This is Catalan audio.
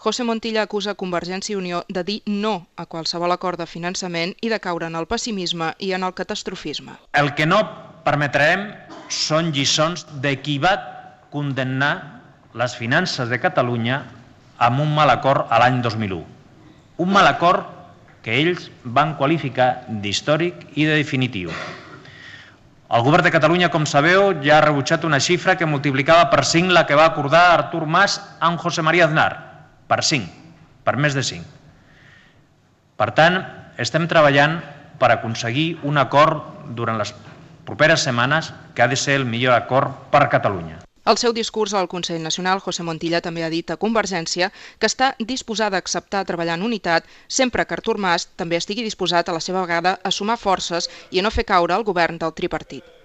José Montilla acusa Convergència i Unió de dir no a qualsevol acord de finançament i de caure en el pessimisme i en el catastrofisme. El que no permetrem són lliçons de qui va condemnar les finances de Catalunya amb un mal acord a l'any 2001. Un mal acord que ells van qualificar d'històric i de definitiu. El govern de Catalunya, com sabeu, ja ha rebutjat una xifra que multiplicava per 5 la que va acordar Artur Mas amb José María Aznar. Per 5, per més de 5. Per tant, estem treballant per aconseguir un acord durant les properes setmanes que ha de ser el millor acord per Catalunya. Al seu discurs al Consell Nacional, José Montilla també ha dit a Convergència que està disposada a acceptar treballar en unitat sempre que Artur Mas també estigui disposat a la seva vegada a sumar forces i a no fer caure el govern del tripartit.